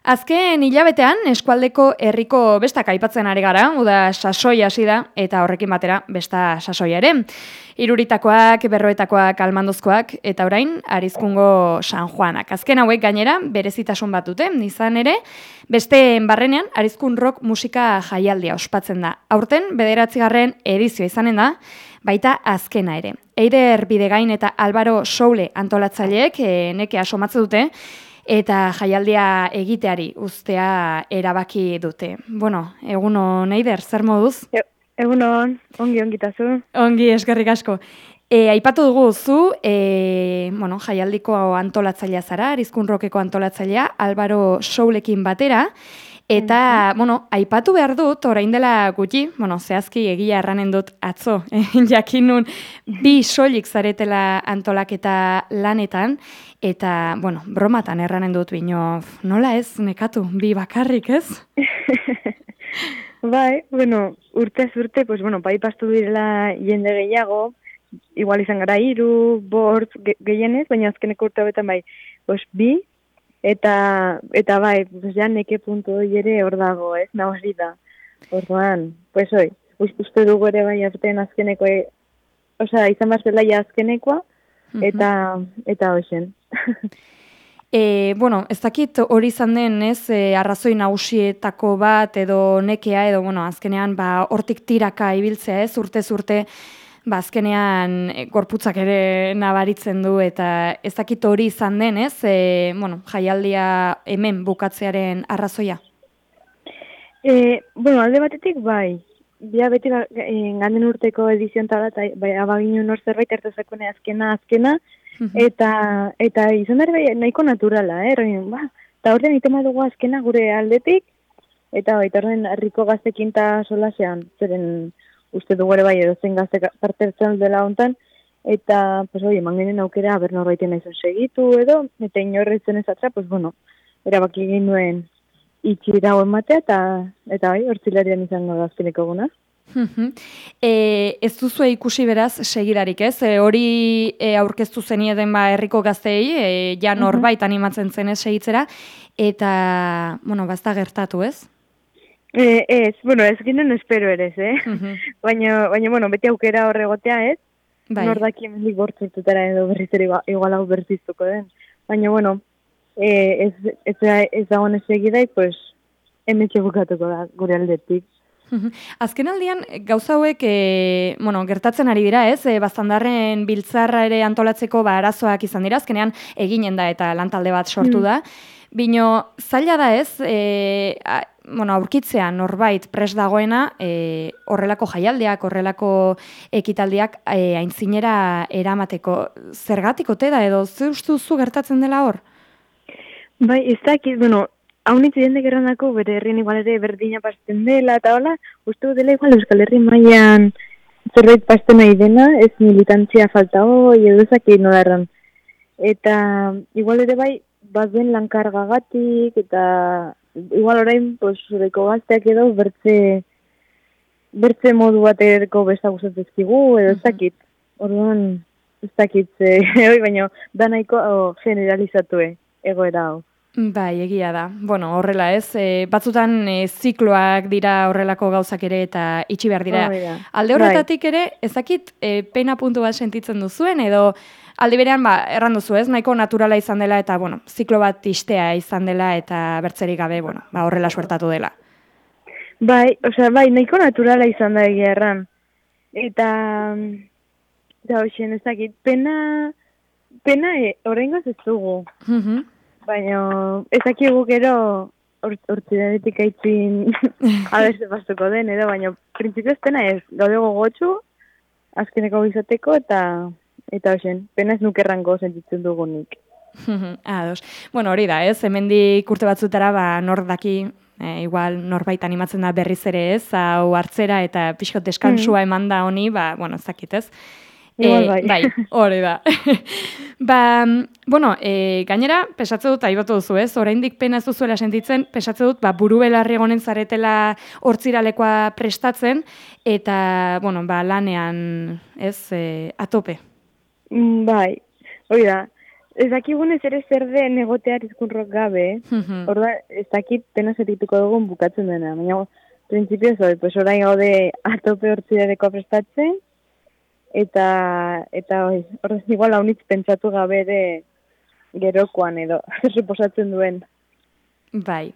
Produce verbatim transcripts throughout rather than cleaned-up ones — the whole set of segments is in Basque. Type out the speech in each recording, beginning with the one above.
Azken hilabetean, eskualdeko herriko bestak aipatzen ari gara, uda sasoi hasi da, eta horrekin batera besta sasoia ere. Iruritakoak, berroetakoak, almandozkoak, eta orain, Arizkungo San Juanak. Azken hauek gainera, berezitasun bat dute, izan ere, beste barrenean, Arizkun rock musika jaialdia ospatzen da. Aurten, bederatzigarren edizioa izanen da, baita azkena ere. Eider Bidegain eta Álvaro Soule antolatzaileek e, nekea somatze dute, eta jaialdia egiteari ustea erabaki dute. Bueno, egunon, Eider, zer moduz? E, egunon, ongi ongitazu. Ongi, eskerrik asko. E, aipatu dugu zu, e, bueno, jaialdiko antolatzailea zara, Arizkun rockeko antolatzailea, Álvaro Soulekin batera, eta, mm-hmm. bueno, aipatu behar dut, orain dela gutxi, bueno, zehazki egia erranen dut atzo, jakinun bi soilik zaretela antolaketa lanetan, eta, bueno, bromatan erranen dut bino, nola ez, nekatu, bi bakarrik ez? Bai, bueno, urtez urte, pues, bueno, bai pastu direla jende gehiago, igual izan gara hiru, bortz, ge gehienez, baina azkeneko urte hobetan bai, pues, bi, eta, eta bai, pues, ja neke puntu hori ere hor dago, ez, nagozi da. Orduan, pues, oi, uste dugu ere bai azten azkeneko, e, osea, izan barzela ja azkenekoa, eta, eta hoxen. E, bueno, ez dakit hori izan den, ez, e, arrazoi nagusietako bat edo nekea edo, bueno, azkenean, ba, hortik tiraka ibiltzea, ez, urtez urte, ba, azkenean e, gorputzak ere nabaritzen du, eta ez dakit hori izan den, ez, e, bueno, jaialdia hemen bukatzearen arrazoia? E, bueno, alde batetik, bai, bia beti ba, e, ganden urteko edizioan tala, eta bai, abaginu nor zerbait ertezakune azkena, azkena, Eta, eta izan dara nahiko naturala, eh? Roin, ba, eta horren itema dugu azkena gure aldetik, eta baita horren herriko gaztekin eta solasean, zeren uste dugu ere bai edo zen gazte parte hartzen dela hontan, eta, pues, oi, eman genen aukera, aber norbaiten naizun segitu edo, eta inorretzen ezatza, pues, bueno, erabaki ginuen itxira hau ematea, eta, eta bai, hortzilarian izango da azkeneko guna. E, ez duzu ikusi beraz segidarik, ez? E, hori e, aurkeztu zenieden ba herriko gazteei, e, ja norbait animatzen zen ez segitzera, eta, bueno, bazta gertatu, ez? E, ez, bueno, ez ginen espero ere, eh? baina, baina, bueno, beti aukera horregotea, ez? Bai. Nordaki hemendik bortzurtutara edo berriz ere igual hau bertiztuko den. Baina, bueno, e, ez, ez, ez dagoen ez segidaik, pues, hemen txebukatuko da gure aldetik. Azken aldian, gauza hauek, e, bueno, gertatzen ari dira, ez? E, Baztandarren biltzarra ere antolatzeko ba, arazoak izan dira, azkenean eginen da eta lantalde bat sortu da. Bino, zaila da ez, e, a, bueno, aurkitzean norbait pres dagoena, e, horrelako jaialdiak, horrelako ekitaldiak e, aintzinera eramateko. Zergatik ote da edo, ze uste duzu gertatzen dela hor? Bai, ez dakit, bueno, haunitz jendek errandako, bere herrien igual ere berdina pasten dela, eta hola, uste dela igual Euskal Herri mailan zerbait pasten nahi dena, ez militantzia falta hoi, edo ezaki nola erran. Eta igual ere bai, bat duen lankargagatik, eta igual orain, pues, zureko gazteak edo, bertze, bertze modu baterko besta gustatzezkigu, edo ezakit. Orduan, ez dakit, e, baina da nahiko oh, generalizatue egoera hau. Bai, egia da. Bueno, horrela ez, e, batzutan e, zikloak dira horrelako gauzak ere eta itxi behar dira. Oh, alde horretatik ere, ezakit e, pena puntu bat sentitzen duzuen, edo alde berean, ba, erran duzu ez, nahiko naturala izan dela eta, bueno, ziklo bat istea izan dela eta bertzerik gabe, bueno, ba, horrela suertatu dela. Bai, osea, bai, nahiko naturala izan da egia erran. Eta, eta hoxen, ezakit, pena, pena e, horrengoz ez dugu. Mhm. Baina, ezakigu gero hortzidanetik or, aitzin abeste pastuko den, edo, baina printzipioz pena ez, gaude gogotxu, azkeneko bizateko, eta eta hoxen, pena ez nukerrango sentitzen dugunik. Ados. Bueno, hori da, ez, hemendik urte batzutara, ba, nor daki, e, igual norbait animatzen da berriz ere ez, hau hartzera eta pixkot deskansua eman da honi, ba, bueno, ezakit ez. Igual bai. E, bai, hori da. Ba, bueno, e, gainera, pesatze dut, aibatu duzu ez, oraindik pena ez duzuela sentitzen, pesatze dut, ba, buru belarri egonen zaretela hortziralekoa prestatzen, eta, bueno, ba, lanean, ez, e, atope. Bai, hori da. ez dakigunez ere zer den egotea Arizkunrok gabe, Mhm. orda, ez dakit pena zerituko dugun bukatzen dena, baina, prinsipioz hori, pues orain gaude atope hortzidadeko prestatzen, eta, eta hori, horrez igual haunitz pentsatu gabe ere gerokoan edo, suposatzen duen. Bai.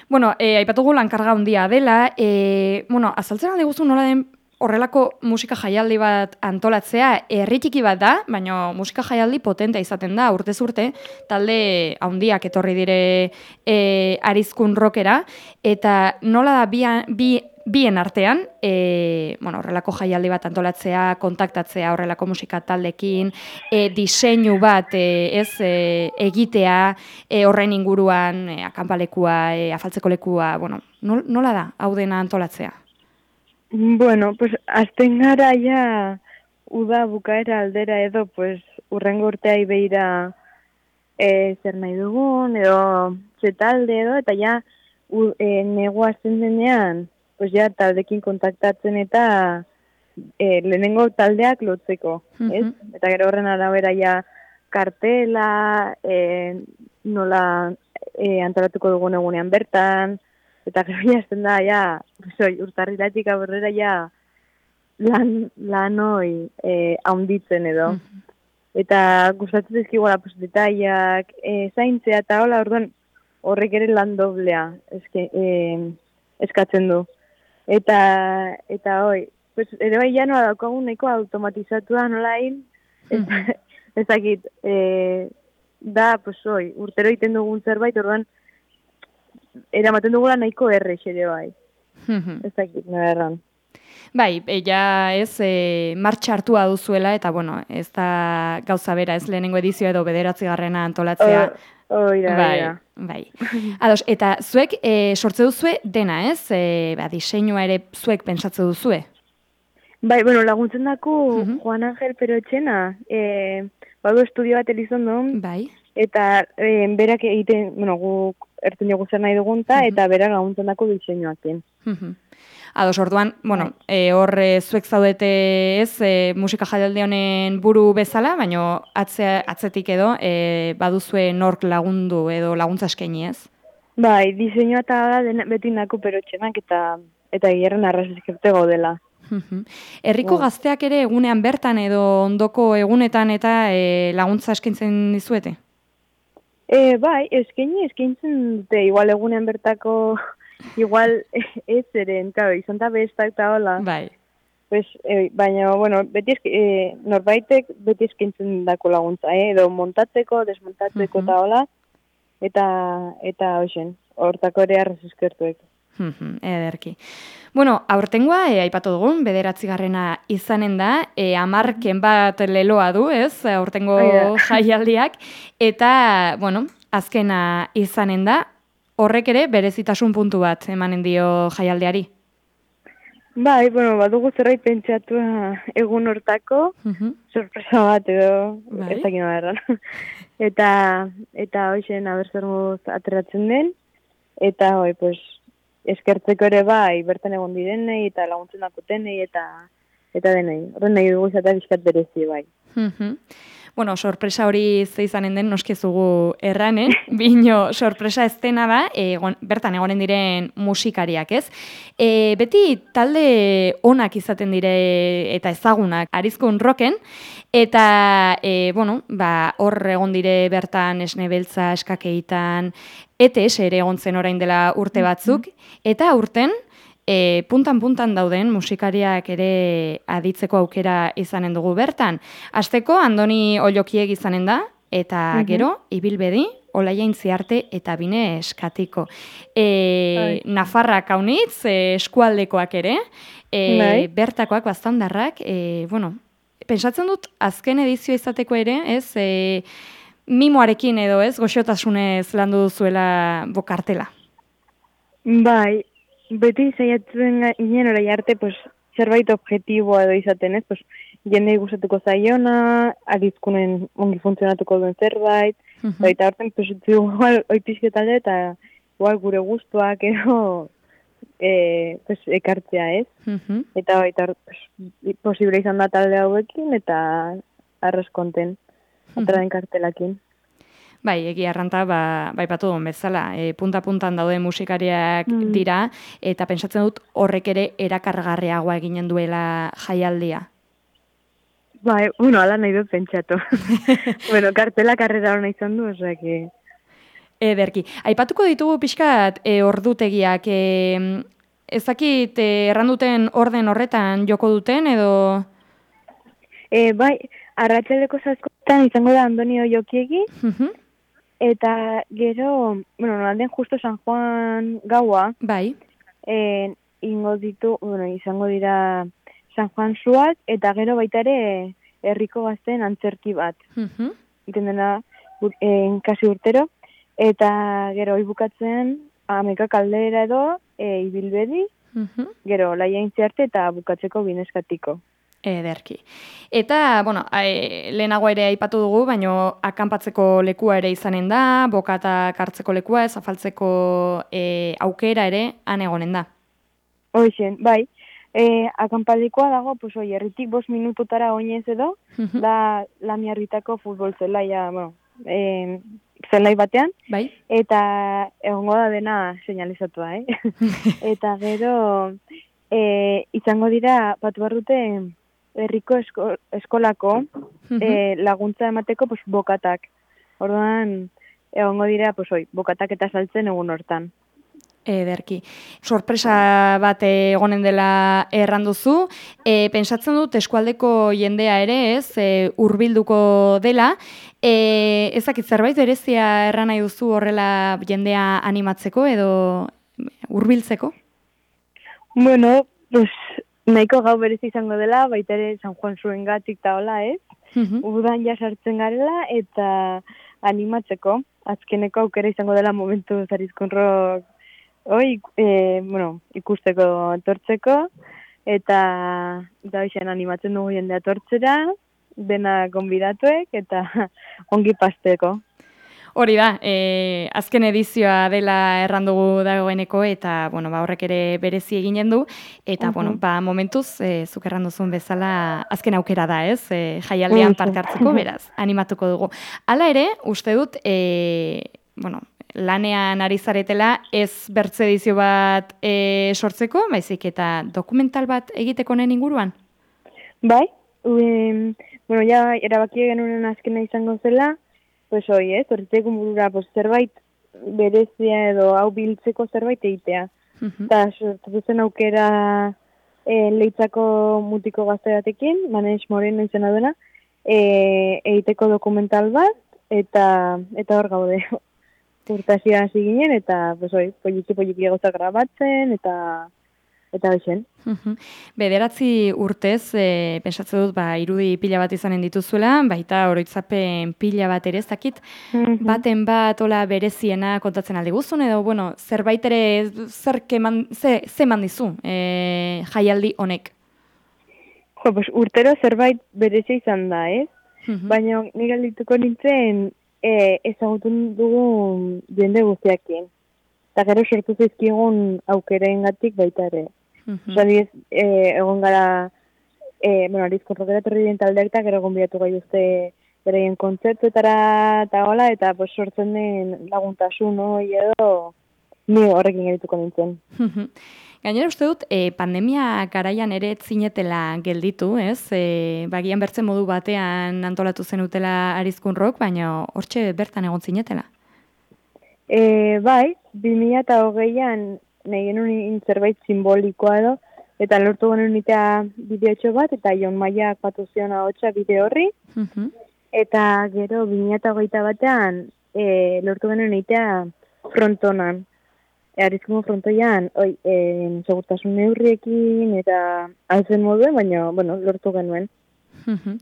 Bueno, e, aipatugu lankarga handia dela, e, bueno, azaltzen alde guztu nola den horrelako musika jaialdi bat antolatzea, herri txiki bat da, baina musika jaialdi potentea izaten da, urtez urte, talde handiak etorri dire e, Arizkun rockera, eta nola da bi, bi, bien artean, e, bueno, horrelako jaialdi bat antolatzea, kontaktatzea horrelako musika taldekin, e, diseinu bat e, ez e, egitea, e, horren inguruan e, akanpalekua, e, afaltzeko lekua, bueno, nola da hau dena antolatzea? Bueno, pues azten gara ja uda bukaera aldera edo, pues urrengo urteai behira e, zer nahi dugun, edo zetalde edo, eta ja u, e, negua azten denean, pues ja taldekin kontaktatzen eta e, lehenengo taldeak lotzeko, uh-huh. ez? Eta gero horren arabera ja kartela, e, nola e, antolatuko dugun egunean bertan, eta gero jazten da, ja, soi, urtarrilatik aurrera ja lan, lan hoi e, haunditzen edo. Mm. Eta gustatzen dizkigola pues, detaiak, e, zaintzea eta hola, orduan horrek ere lan doblea eske, e, eskatzen du. Eta, eta hoi, pues, ere bai ja nola daukagun nahiko automatizatua nola hil, mm. ezakit, e, da, pues hoi, urtero iten dugun zerbait, orduan, eramaten dugula nahiko errex ere bai. Ez dakit, nire erran. Bai, ja ez e, martxa hartua duzuela, eta bueno, ez da gauza bera, ez lehenengo edizio edo bederatzi garrena antolatzea. Oira, bai, oira. Bai. Ados, eta zuek e, sortze duzue dena, ez? E, ba, diseinua ere zuek pentsatze duzue? Bai, bueno, laguntzen dako uh-huh. Juan Angel Perotxena, e, badu estudio bat elizondon, bai. Eta e, berak egiten, bueno, guk ertzen jogu zer nahi dugunta, uh-huh. eta berak laguntzen dako diseinuakin. Uh-huh. Ados, orduan, bueno, e, hor e, zuek zaudete ez, e, musika jaialdi honen buru bezala, baina atze, atzetik edo e, baduzue nork lagundu edo laguntza eskaini ez? Bai, diseinua eta da beti nako Perotxenak eta eta gierren arrazizkerte gaudela. Uh-huh. Herriko wow. Gazteak ere egunean bertan edo ondoko egunetan eta e, laguntza eskaintzen dizuete? E, bai, eskaini eskaintzen dute, igual egunean bertako, igual ez eren, claro, izan da bestak eta hola. Bai. Pues, e, baina, bueno, beti esk, e, norbaitek beti eskaintzen dako laguntza, eh? Edo montatzeko, desmontatzeko eta uh-huh. hola, eta, eta hoxen, hortako ere arrez eskertuek. Uh-huh, ederki. Bueno, aurtengoa, e, aipatu dugun, bederatzigarrena izanen da, e, amarken bat leloa du, ez, aurtengo jaialdiak, eta, bueno, azkena izanen da, horrek ere berezitasun puntu bat emanen dio jaialdiari. Bai, bueno, badugu zerbait pentsatua egun hortako, uh-huh. sorpresa bat edo, bai? Ez dakit nola erran. Eta, eta hoxen abertzermuz ateratzen den, eta hoi, pues, eskertzeko ere bai, bertan egon direnei, eta laguntzen dakotenei, eta eta denei. Horren nahi dugu izatea bizkat berezi bai. Uh-huh. Bueno, sorpresa hori ze izanen den noskezugu erranen, bino sorpresa ez dena da, e, bertan egonen diren musikariak, ez? E, beti talde onak izaten dire eta ezagunak Arizkun rocken, eta, e, bueno, ba, hor egon dire bertan Esne Beltza, Eskakeitan, E T S ere egon zen orain dela urte batzuk, eta urten, E, puntan-puntan dauden musikariak ere aditzeko aukera izanen dugu bertan. Hasteko Andoni Ollokieg izanen da, eta uh-huh. gero, Ibilbedi, Olaia Intziarte eta Bine Eskatiko. E, Nafarrak haunitz, e, eskualdekoak ere, e, bertakoak bastandarrak, e, bueno, pentsatzen dut azken edizio izateko ere, ez, e, mimoarekin edo ez, goxotasunez landu duzuela bokartela. Bai, beti zaiatzen ginen orai arte, pues, zerbait objektiboa edo izaten, ez? Pues, jendei gustatuko zaiona, Arizkunen ongi funtzionatuko duen zerbait, uh-huh. eta horten, pues, igual, oipizketalde eta igual gure gustuak edo e, pues, ekartzea, ez? Uh-huh. Eta baita, pues, posible izan da talde hauekin, eta arrez konten, uh-huh. atraen kartelakin. Bai, egia erranta, ba, bai batu duen bezala, e, punta-puntan daude musikariak mm. dira, eta pentsatzen dut horrek ere erakargarriagoa eginen duela jaialdia. Bai, bueno, ala nahi dut pentsatu. bueno, kartela karrera hona izan du, osea, que... Ederki. Aipatuko ditugu pixkat e, ordutegiak, e, ezakit e, erranduten orden horretan joko duten, edo... E, bai, arratsaleko zazkoetan izango da Antonio Jokiegi, uh-huh. eta gero, bueno, nolanden justo San Juan gaua, bai. E, ingo ditu, bueno, izango dira San Juan suak, eta gero baita ere herriko gazten antzerki bat. Uh-huh. Iten dena, en, kasi urtero, eta gero bukatzen ameka kaldera edo e, ibilbedi, uh-huh. gero laia intziarte eta bukatzeko bineskatiko. Ederki. Eta, bueno, e, lehenago ere aipatu dugu, baino akanpatzeko lekua ere izanen da, bokatak hartzeko lekua, ez afaltzeko e, aukera ere han egonen da. Hoixen, bai. E, akanpalikoa dago, pues, oi, erritik bost minututara oinez edo, uh-huh. da Lamiarritako futbol zelaia, bueno, e, zelai batean, bai. Eta egongo da dena señalizatua, eh? Eta gero, e, izango dira, batu barrute, herriko esko, eskolako uh-huh. e, laguntza emateko pues, bokatak. Orduan, egongo dira, pues, oi, bokatak eta saltzen egun hortan. Ederki. Sorpresa bat egonen dela erranduzu. E, pentsatzen dut eskualdeko jendea ere, ez, e, hurbilduko dela. E, ezakit zerbait berezia erran nahi duzu horrela jendea animatzeko edo hurbiltzeko? Bueno, pues... Nahiko gau berezi izango dela, baita ere San Juan zuen gatik eta hola, ez? Uh-huh. Udan ja sartzen garela eta animatzeko. Azkeneko aukera izango dela momentu zarizkonrok oi, e, bueno, ikusteko etortzeko. Eta da izan animatzen dugu jendea etortzera, dena gonbidatuek eta ongi pasteko. Hori da, e, azken edizioa dela errandugu dagoeneko eta bueno, ba, horrek ere berezi eginen du eta uh-huh. bueno, ba, momentuz e, zuk erranduzun bezala azken aukera da, ez? E, jaialdean uh-huh. parte hartzeko, beraz, animatuko dugu. Hala ere, uste dut, e, bueno, lanean ari zaretela ez bertze edizio bat e, sortzeko, baizik eta dokumental bat egiteko nen inguruan? Bai, um, bueno, ja erabaki genuen azkena izango zela, pues hoi, ez, horretzeko burura, pues, zerbait berezia edo hau biltzeko zerbait egitea. Eta uh-huh. sortu zen aukera e, leitzako mutiko gazteatekin, Maneix Moreno izena duena, e, egiteko dokumental bat, eta eta hor gaude. Urtasia hasi ginen, eta, pues hoi, poliki-poliki gauza grabatzen, eta... Eta hoxen. Uh-huh. Bederatzi urtez, e, pensatzen dut, ba, irudi pila bat izanen dituzuela, baita oroitzapen pila bat ere ez dakit, uh-huh. baten bat ola bereziena kontatzen aldi guzun, edo, bueno, zerbait ere zer keman, ze, ze mandizu e, jaialdi honek? Jo, pues, urtero zerbait berezia izan da, ez? Uh-huh. Baina nik aldituko nintzen e, ezagutun dugu jende guztiakin. Eta gero sortu zizkigun aukereen gatik baita ere. Uh-huh. Osa, diez, e, egon gara, e, bueno, arizko rokera torri den taldeak eta gero gonbidatu gai uste bereien kontzertuetara eta hola, eta pues, sortzen den laguntasun, no? Edo, ni horrekin gerituko nintzen. Uh-huh. Gainera uste dut, e, pandemia garaian ere zinetela gelditu, ez? E, bagian bertzen modu batean antolatu zenutela arizkun rock, baina hortxe bertan egon zinetela. E, bai, bi mila eta hogeian nahi genuen zerbait simbolikoa edo, eta lortu genuen nitea bideotxo bat, eta Jon Maiak batu zion ahotsa bideo horri, uh-huh. eta gero bi mila eta hogeita batean e, lortu genuen nitea frontonan. E, Arizkumo frontoian, oi, e, segurtasun neurriekin, eta altzen moduen, baina, bueno, lortu genuen. Uh-huh.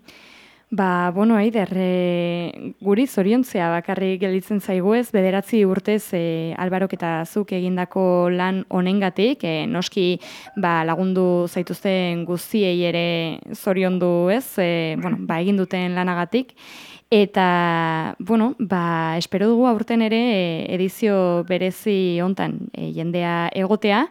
Ba, bueno, Eider, e, guri zoriontzea bakarrik gelditzen zaigu ez, bederatzi urtez e, Albarok eta zuk egindako lan honengatik, e, noski ba, lagundu zaituzten guztiei ere zoriondu ez, e, bueno, ba, egin duten lanagatik, eta, bueno, ba, espero dugu aurten ere edizio berezi hontan e, jendea egotea,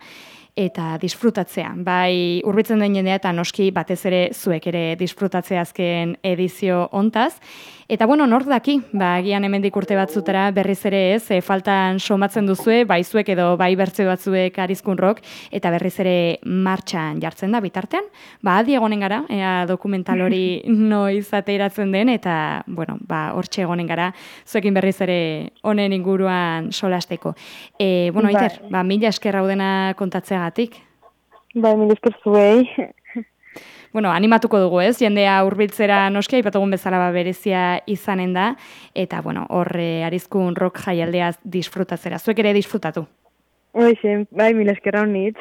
eta disfrutatzea. Bai, hurbiltzen den jendea eta noski batez ere zuek ere disfrutatzea azken edizio hontaz. Eta bueno, nor daki, ba, agian hemendik urte batzutara berriz ere ez, e, faltan somatzen duzue, bai zuek edo bai bertze batzuek Arizkun Rock, eta berriz ere martxan jartzen da bitartean. Ba, adi egonen gara, ea dokumental hori noiz ateratzen den, eta, bueno, ba, hortxe egonen gara, zuekin berriz ere honen inguruan solasteko. E, bueno, Bai. Aiter, ba, mila esker raudena kontatzeagatik. Bai, mila esker zuei. Bueno, animatuko dugu, ez? Jendea hurbiltzera noski aipatugun bezala ba berezia izanen da eta bueno, hor Arizkun Rock jaialdeaz disfrutatzera. Zuek ere disfrutatu. Hoxe, bai, mila esker honit.